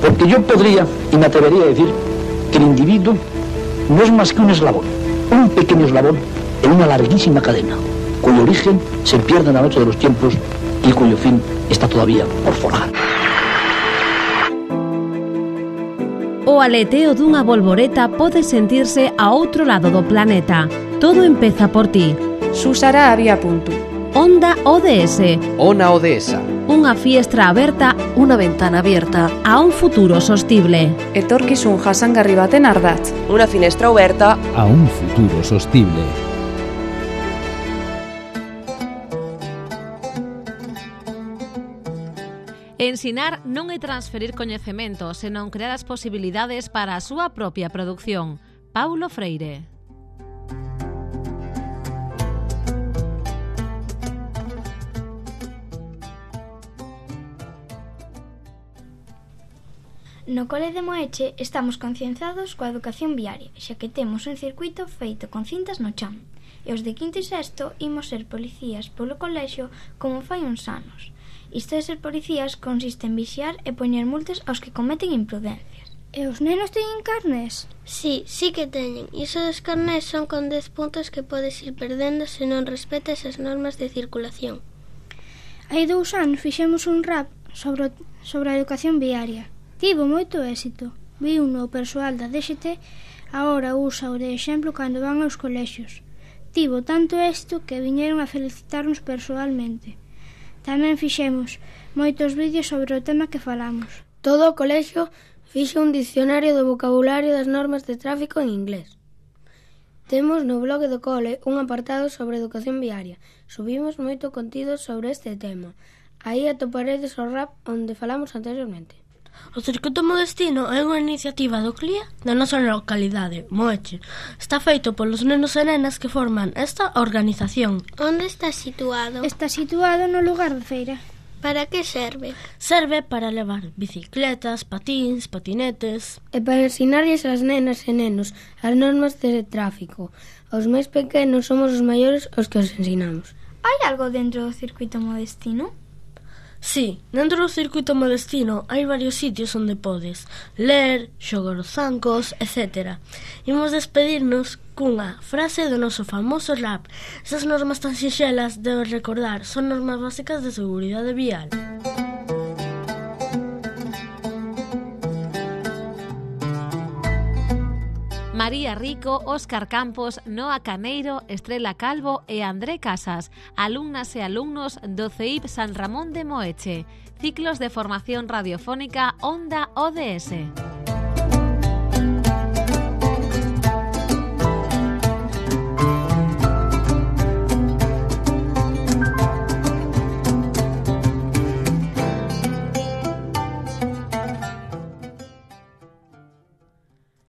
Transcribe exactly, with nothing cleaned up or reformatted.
Porque yo podría, y me atrevería a decir, que el individuo no es más que un eslabón, un pequeño eslabón en una larguísima cadena, cuyo origen se pierde en la noche de los tiempos y cuyo fin está todavía por forjar. O aleteo dunha bolboreta pode sentirse a outro lado do planeta. Todo empeza por ti. Susara había punto. Onda O D S. Ona Odesa. Unha fiestra aberta, unha ventana abierta a un futuro sostible. Etorkizun jasangarri baten ardatz. Unha finestra aberta a un futuro sostible. Ensinar non é transferir coñecemento, senón crear as posibilidades para a súa propia produción. Paulo Freire. No Cole de Moeche estamos concienciados coa educación viaria, xa que temos un circuito feito con cintas no chan. E os de quinto e sexto imos ser policías polo colexio como fai uns anos. Isto de ser policías consiste en vixiar e poñer multas aos que cometen imprudencias. E os nenos teñen carnés? Sí, sí que teñen. Iso dos carnés son con dez puntos que podes ir perdendo se non respetas as normas de circulación. Hai dous anos fixemos un rap sobre, sobre a educación viaria. Tivo moito éxito. Vi un no persoal da D X T, agora usa o de exemplo cando van aos colexios. Tivo tanto éxito que viñeron a felicitarnos persoalmente. Tamén fixemos moitos vídeos sobre o tema que falamos. Todo o colexio fixe un dicionario do vocabulario das normas de tráfico en inglés. Temos no blog do cole un apartado sobre educación viaria. Subimos moito contido sobre este tema. Aí atoparedes o rap onde falamos anteriormente. O Circuito Modestino é unha iniciativa do C L I A da nosa localidade, Moeche. Está feito polos nenos e nenas que forman esta organización. Onde está situado? Está situado no lugar da feira. Para que serve? Serve para levar bicicletas, patíns, patinetes. E para ensinarlles ás nenas e nenos as normas de tráfico. Os máis pequenos somos os maiores os que os ensinamos. Hai algo dentro do Circuito Modestino? Sí, dentro do Circuito Modestino hai varios sitios onde podes ler, xogar os zancos, etcétera. Imos despedirnos cunha frase do noso famoso rap. Esas normas tan sinxelas, debes recordar, son normas básicas de seguridade vial. María Rico, Óscar Campos, Noa Caneiro, Estrela Calvo e André Casas, alumnas e alumnos do C E I P San Ramón de Moeche. Ciclos de formación radiofónica Onda O D S.